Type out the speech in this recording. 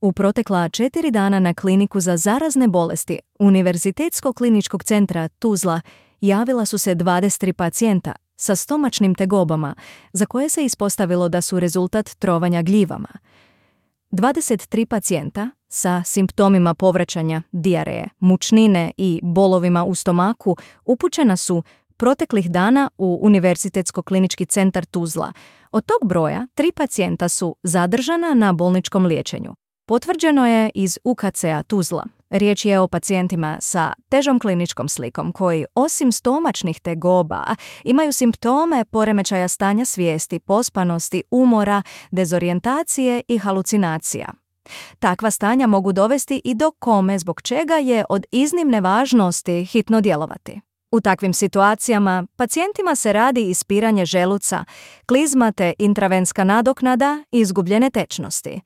U protekla 4 dana na kliniku za zarazne bolesti Univerzitetskog kliničkog centra Tuzla javila su se 23 pacijenta sa stomačnim tegobama za koje se ispostavilo da su rezultat trovanja gljivama. 23 pacijenta sa simptomima povraćanja dijareje, mučnine i bolovima u stomaku upućena su proteklih dana u Univerzitetsko klinički centar Tuzla. Od tog broja 3 pacijenta su zadržana na bolničkom liječenju. Potvrđeno je iz UKC-a Tuzla. Riječ je o pacijentima sa težom kliničkom slikom koji, osim stomačnih tegoba, imaju simptome poremećaja stanja svijesti, pospanosti, umora, dezorijentacije i halucinacija. Takva stanja mogu dovesti i do kome, zbog čega je od iznimne važnosti hitno djelovati. U takvim situacijama pacijentima se radi ispiranje želuca, klizma te intravenska nadoknada i izgubljene tečnosti.